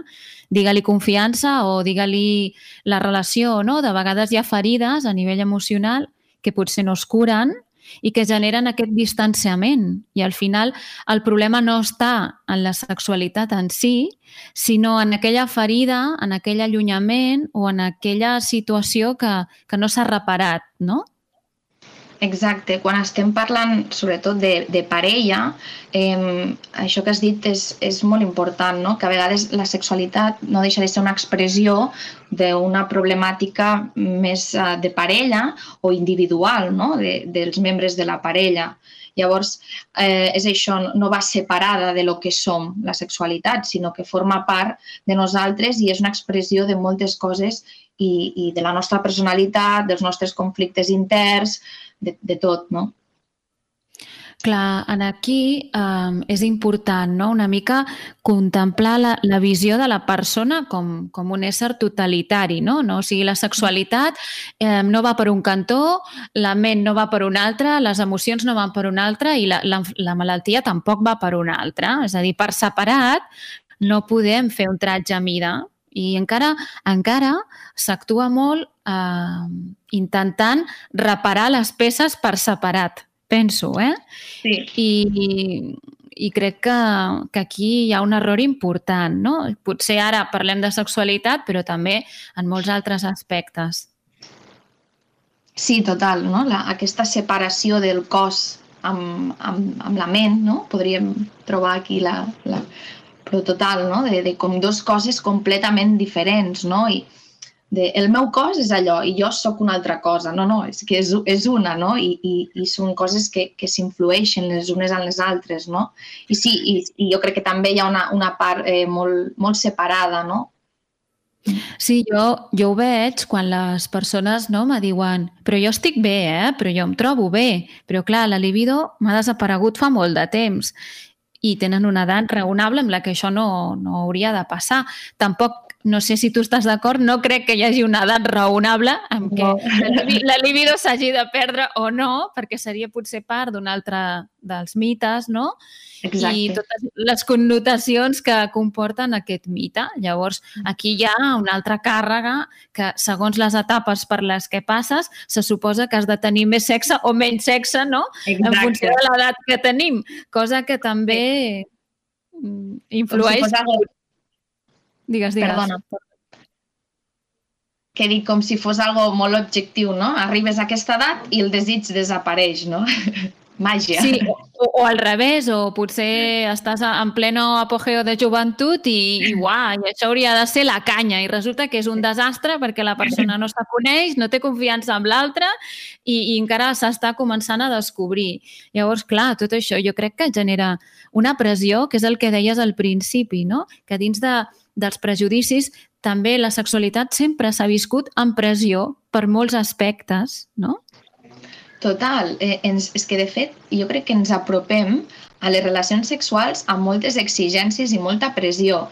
digue-li confiança o digue-li la relació, no? De vegades hi ha ferides a nivell emocional que potser no es curen i que generen aquest distanciament. I al final el problema no està en la sexualitat en si, sinó en aquella ferida, en aquell allunyament o en aquella situació que, que no s'ha reparat, no? Exacte. Quan estem parlant sobretot de, de parella, eh, això que has dit és, és molt important, no? Que a vegades la sexualitat no deixa de ser una expressió d'una problemàtica més uh, de parella o individual, no? De, dels membres de la parella. Llavors, eh, és això, no va separada de lo que som, la sexualitat, sinó que forma part de nosaltres i és una expressió de moltes coses i, i de la nostra personalitat, dels nostres conflictes interns, de, de tot, no? Clar, aquí eh, és important, no? Una mica contemplar la, la visió de la persona com, com un ésser totalitari, no? No? O sigui, la sexualitat eh, no va per un cantó, la ment no va per un altre, les emocions no van per un altre i la, la, la malaltia tampoc va per un altre. És a dir, per separat no podem fer un tratge a mida i encara encara s'actua molt eh, intentant reparar les peces per separat. Penso, eh? Sí. I, i crec que, que aquí hi ha un error important, no? Potser ara parlem de sexualitat, però també en molts altres aspectes. Sí, total, no? La, aquesta separació del cos amb, amb, amb la ment, no? Podríem trobar aquí la... la però total, no? De, de com dues coses completament diferents, no? I de, el meu cos és allò i jo sóc una altra cosa. No, no, és que és, és una, no? I, i, i són coses que, que s'influeixen les unes en les altres, no? I sí, i, i jo crec que també hi ha una, una part eh, molt, molt separada, no? Sí, jo, jo ho veig quan les persones no, me diuen però jo estic bé, eh? Però jo em trobo bé. Però clar, la libido m'ha desaparegut fa molt de temps. I tenen una edat raonable amb la que això no, no hauria de passar. Tampoc, no sé si tu estàs d'acord, no crec que hi hagi una edat raonable en què no. la libido s'hagi de perdre o no, perquè seria potser part d'un altre dels mites, no? Exacte. I totes les connotacions que comporten aquest mite. Llavors, aquí hi ha una altra càrrega que, segons les etapes per les que passes, se suposa que has de tenir més sexe o menys sexe, no? Exacte. En funció de l'edat que tenim, cosa que també influeix... Si algo... Digues, digues. Perdona. que dic com si fos algo molt objectiu, no? Arribes a aquesta edat i el desig desapareix, no? Màgia. Sí, o, o al revés, o potser estàs en pleno apogeo de joventut i, i uah, i això hauria de ser la canya i resulta que és un desastre perquè la persona no se coneix, no té confiança en l'altre i, i encara s'està començant a descobrir. Llavors, clar, tot això jo crec que genera una pressió, que és el que deies al principi, no? Que dins de, dels prejudicis també la sexualitat sempre s'ha viscut amb pressió per molts aspectes, no? Total. Eh, ens, és que, de fet, jo crec que ens apropem a les relacions sexuals amb moltes exigències i molta pressió.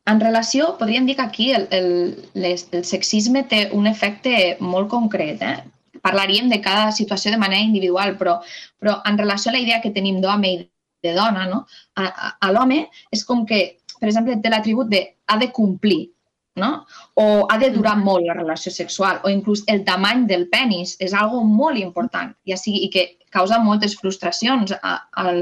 En relació, podríem dir que aquí el, el, les, el sexisme té un efecte molt concret. Eh? Parlaríem de cada situació de manera individual, però, però en relació a la idea que tenim d'home i de dona, no? a, a, a l'home és com que, per exemple, té l'atribut de ha de complir, no? O ha de durar molt la relació sexual, o inclús el tamany del penis és algo molt important, ja sigui, i que causa moltes frustracions a, a,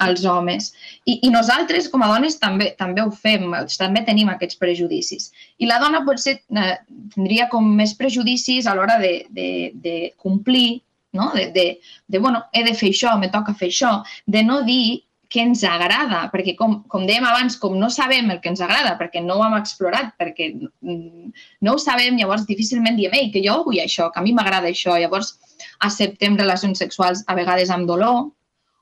als homes. I, I nosaltres, com a dones, també, també ho fem, també tenim aquests prejudicis. I la dona potser eh, tindria com més prejudicis a l'hora de, de, de complir, no? de, de, de, bueno, he de fer això, me toca fer això, de no dir que ens agrada, perquè com, com dèiem abans, com no sabem el que ens agrada, perquè no ho hem explorat, perquè no ho sabem, llavors difícilment diem, ei, que jo vull això, que a mi m'agrada això, llavors acceptem relacions sexuals a vegades amb dolor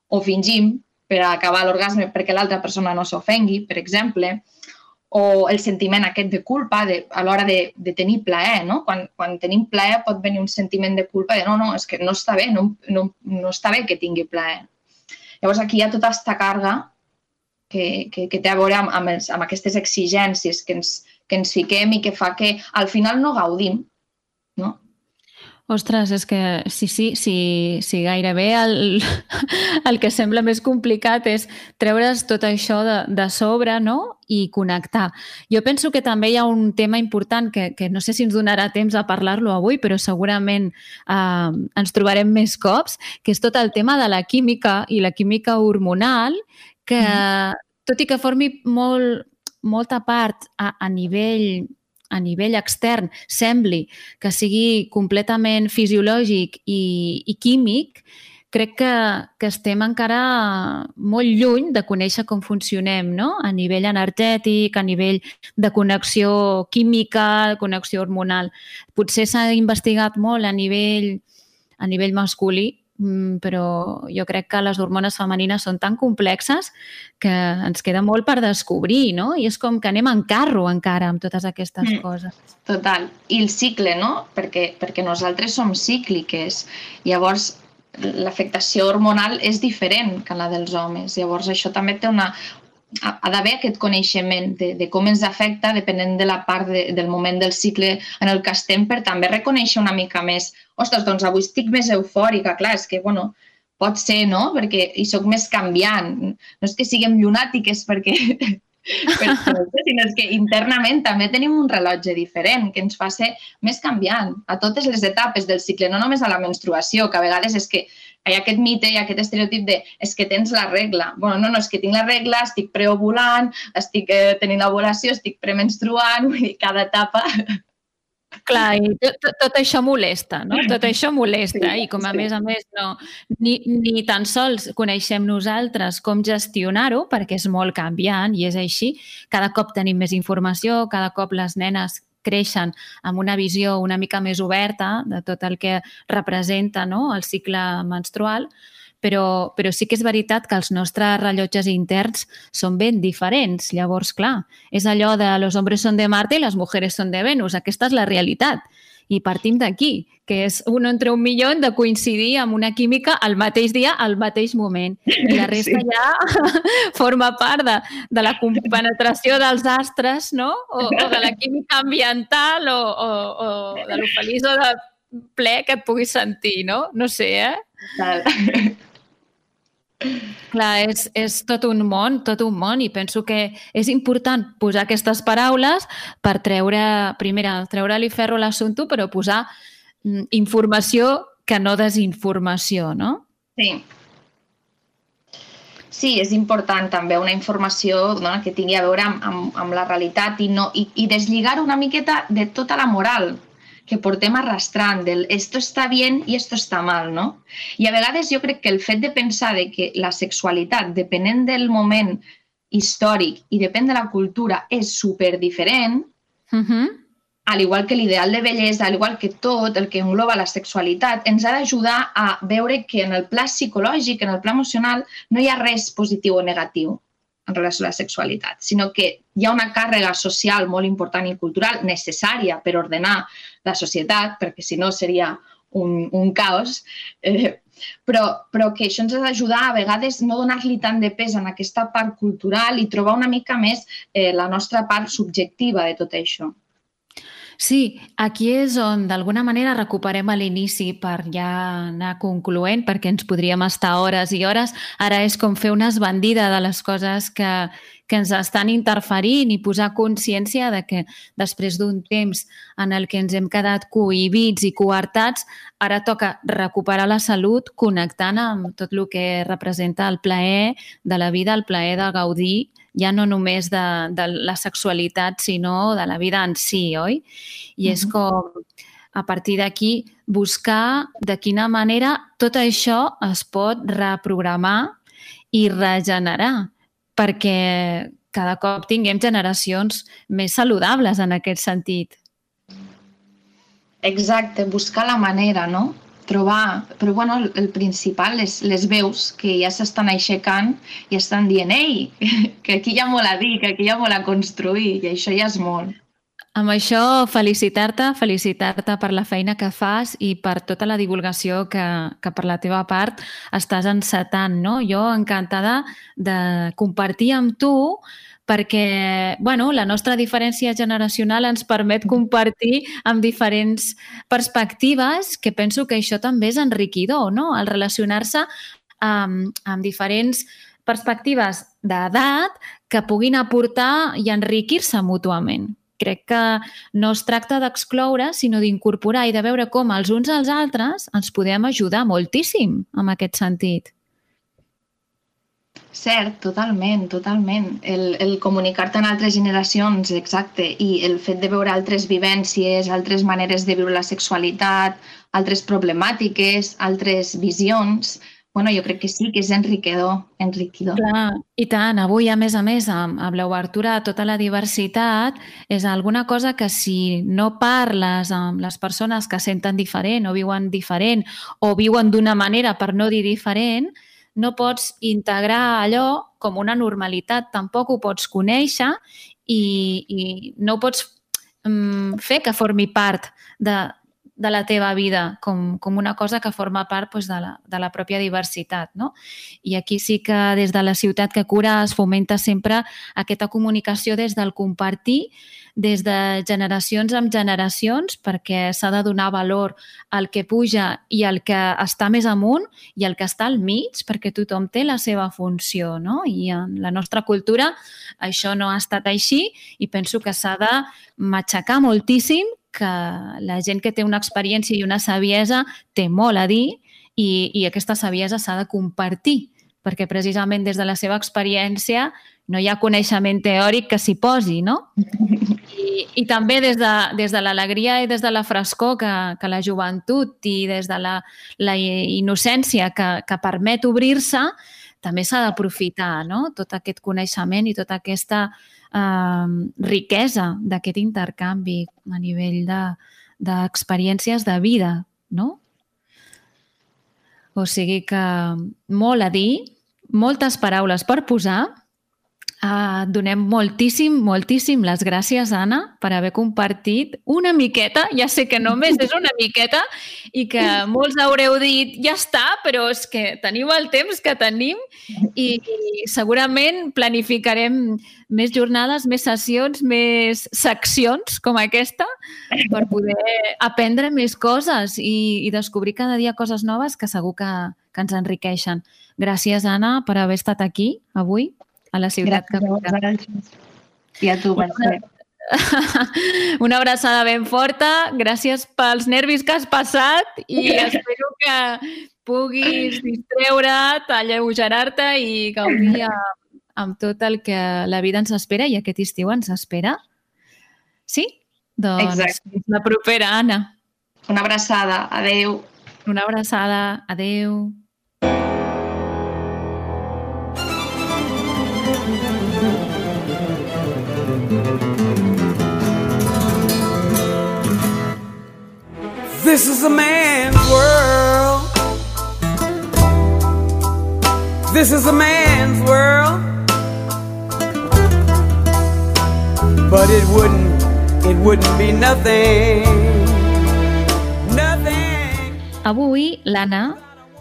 o fingim per acabar l'orgasme perquè l'altra persona no s'ofengui, per exemple, o el sentiment aquest de culpa de, a l'hora de, de tenir plaer, no? Quan, quan tenim plaer pot venir un sentiment de culpa de no, no, és que no està bé, no, no, no està bé que tingui plaer. Llavors, aquí hi ha tota aquesta càrrega que, que, que té a veure amb, amb, els, amb aquestes exigències que ens, que ens fiquem i que fa que al final no gaudim, no? Ostres, és que sí, sí, sí, sí gairebé el, el que sembla més complicat és treure's tot això de, de sobre, no? I connectar. Jo penso que també hi ha un tema important que, que no sé si ens donarà temps a parlar-lo avui, però segurament eh, ens trobarem més cops, que és tot el tema de la química i la química hormonal, que mm. tot i que formi molt, molta part a, a nivell a nivell extern sembli que sigui completament fisiològic i, i químic, crec que, que estem encara molt lluny de conèixer com funcionem, no? A nivell energètic, a nivell de connexió química, de connexió hormonal. Potser s'ha investigat molt a nivell, a nivell masculí, però jo crec que les hormones femenines són tan complexes que ens queda molt per descobrir, no? I és com que anem en carro encara amb totes aquestes mm, coses. Total. I el cicle, no? Perquè, perquè nosaltres som cícliques. Llavors, l'afectació hormonal és diferent que la dels homes. Llavors, això també té una... ha d'haver aquest coneixement de, de com ens afecta depenent de la part de, del moment del cicle en el que estem per també reconèixer una mica més. Ostres, doncs avui estic més eufòrica, clar, és que, bueno, pot ser, no? Perquè hi soc més canviant. No és que siguem llunàtiques perquè... però, sinó que internament també tenim un rellotge diferent que ens fa ser més canviant a totes les etapes del cicle, no només a la menstruació, que a vegades és que hi ha aquest mite, hi ha aquest estereotip de és que tens la regla. Bueno, no, no, és que tinc la regla, estic preovulant, estic eh, tenint l'ovulació, estic premenstruant, vull dir, cada etapa... Clar, i tot, tot això molesta, no? Tot això molesta sí, i com a sí. més a més no, ni, ni tan sols coneixem nosaltres com gestionar-ho perquè és molt canviant i és així. Cada cop tenim més informació, cada cop les nenes creixen amb una visió una mica més oberta de tot el que representa, no? El cicle menstrual, però, però sí que és veritat que els nostres rellotges interns són ben diferents. Llavors, clar, és allò de los hombres son de Marte i les mujeres son de Venus. Aquesta és la realitat. I partim d'aquí, que és un entre un milió de coincidir amb una química al mateix dia, al mateix moment. I la resta sí. ja forma part de, de la compenetració dels astres, no? O, o de la química ambiental o, o, o de lo feliç o de ple que et puguis sentir, no? No sé, eh? Tal. Clar, és, és tot un món, tot un món i penso que és important posar aquestes paraules per treure, primera, treure-li ferro a l'assumpte, però posar mm, informació que no desinformació, no? Sí. Sí, és important també una informació no, que tingui a veure amb, amb, amb la realitat i, no, i, i deslligar una miqueta de tota la moral. que portem arrastrant, del esto está bien i esto está mal, no? I a vegades jo crec que el fet de pensar de que la sexualitat, depenent del moment històric i depèn de la cultura, és superdiferent, Uh-huh. al igual que l'ideal de bellesa, al igual que tot el que engloba la sexualitat, ens ha d'ajudar a veure que en el pla psicològic, en el pla emocional, no hi ha res positiu o negatiu en relació a la sexualitat, sinó que hi ha una càrrega social molt important i cultural necessària per ordenar la societat, perquè si no seria un, un caos, eh, però, però que això ens ha d'ajudar a vegades no donar-li tant de pes en aquesta part cultural i trobar una mica més eh, la nostra part subjectiva de tot això. Sí, aquí és on d'alguna manera recuperem a l'inici per ja anar concloent, perquè ens podríem estar hores i hores. Ara és com fer una esbandida de les coses que, que ens estan interferint i posar consciència de que després d'un temps en el que ens hem quedat cohibits i coartats, ara toca recuperar la salut connectant amb tot el que representa el plaer de la vida, el plaer de gaudir, ja no només de, de la sexualitat, sinó de la vida en si, oi? I és com, a partir d'aquí, buscar de quina manera tot això es pot reprogramar i regenerar, perquè cada cop tinguem generacions més saludables en aquest sentit. Exacte, buscar la manera, no? Trobar, però bueno, el, el principal, les, les veus que ja s'estan aixecant i estan dient, ei, que aquí hi ha molt a dir, que aquí hi ha molt a construir, i això ja és molt. Amb això, felicitar-te, felicitar-te per la feina que fas i per tota la divulgació que, que per la teva part estàs encetant, no? Jo encantada de compartir amb tu perquè, bueno, la nostra diferència generacional ens permet compartir amb diferents perspectives, que penso que això també és enriquidor, no? El relacionar-se amb, amb diferents perspectives d'edat que puguin aportar i enriquir-se mútuament. Crec que no es tracta d'excloure, sinó d'incorporar i de veure com els uns als altres ens podem ajudar moltíssim en aquest sentit. Cert, totalment, totalment. El, el comunicar-te amb altres generacions, exacte, i el fet de veure altres vivències, altres maneres de viure la sexualitat, altres problemàtiques, altres visions, bueno, jo crec que sí, que és enriquidor, enriquidor. Clar, i tant. Avui, a més a més, amb, amb l'obertura a tota la diversitat, és alguna cosa que si no parles amb les persones que senten diferent o viuen diferent o viuen d'una manera per no dir diferent, no pots integrar allò com una normalitat, tampoc ho pots conèixer i, i no ho pots um, fer que formi part de, de la teva vida, com, com una cosa que forma part doncs, de, la, de la pròpia diversitat, no? I aquí sí que des de la Ciutat que Cura es fomenta sempre aquesta comunicació des del compartir, des de generacions en generacions, perquè s'ha de donar valor al que puja i al que està més amunt i al que està al mig, perquè tothom té la seva funció, no? I en la nostra cultura això no ha estat així i penso que s'ha de matxacar moltíssim que la gent que té una experiència i una saviesa té molt a dir i, i aquesta saviesa s'ha de compartir, perquè precisament des de la seva experiència no hi ha coneixement teòric que s'hi posi, no? I, i també des de, des de l'alegria i des de la frescor que, que la joventut i des de la, la innocència que, que permet obrir-se, també s'ha d'aprofitar, no? Tot aquest coneixement i tota aquesta eh, riquesa d'aquest intercanvi a nivell de, d'experiències de vida, no? O sigui que molt a dir, moltes paraules per posar. Uh, donem moltíssim, moltíssim les gràcies, Anna, per haver compartit una miqueta, ja sé que només és una miqueta i que molts haureu dit ja està, però és que teniu el temps que tenim i, i segurament planificarem més jornades, més sessions, més seccions com aquesta per poder aprendre més coses i, i descobrir cada dia coses noves que segur que, que ens enriqueixen. Gràcies, Anna, per haver estat aquí avui a la Ciutat que Cura. I a tu, Mercè. Una abraçada ben forta. Gràcies pels nervis que has passat i espero que puguis distreure't, alleugerar-te i gaudir amb, amb tot el que la vida ens espera i aquest estiu ens espera. Sí? Doncs Exacte. la propera, Anna. Una abraçada. Adeu. Una abraçada. Adeu. This is a man's world. This is a man's world. But it wouldn't, it wouldn't be nothing. Nothing. Avui, l'Anna,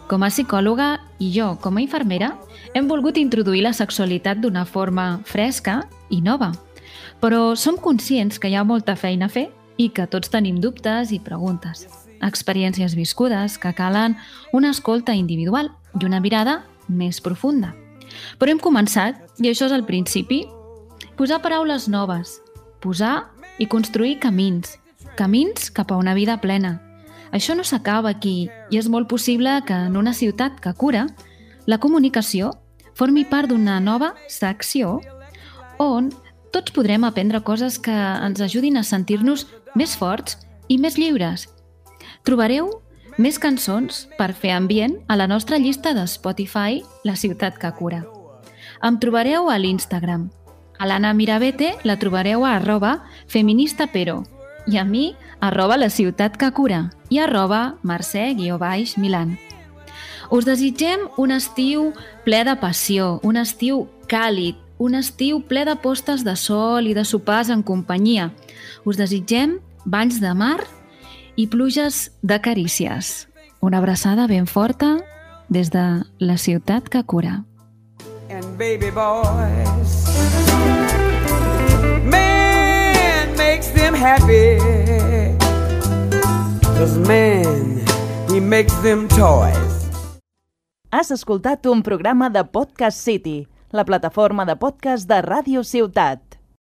com a psicòloga, i jo, com a infermera, hem volgut introduir la sexualitat d'una forma fresca i nova. Però som conscients que hi ha molta feina a fer i que tots tenim dubtes i preguntes, experiències viscudes que calen una escolta individual i una mirada més profunda. Però hem començat, i això és el principi, posar paraules noves, posar i construir camins, camins cap a una vida plena. Això no s'acaba aquí i és molt possible que en una ciutat que cura, la comunicació formi part d'una nova secció on tots podrem aprendre coses que ens ajudin a sentir-nos més forts i més lliures. Trobareu més cançons per fer ambient a la nostra llista de Spotify La Ciutat que Cura. Em trobareu a l'Instagram. A l'Anna Mirabete la trobareu a arroba feministapero i a mi arroba La Ciutat que Cura i arroba Mercè guió baix Milan. Us desitgem un estiu ple de passió, un estiu càlid, un estiu ple de postes de sol i de sopars en companyia. Us desitgem banys de mar i pluges de carícies. Una abraçada ben forta des de La Ciutat que Cura. And baby boys, man makes them happy, 'cause man, he makes them toys. Has escoltat un programa de Podcast City, la plataforma de podcast de Ràdio Ciutat.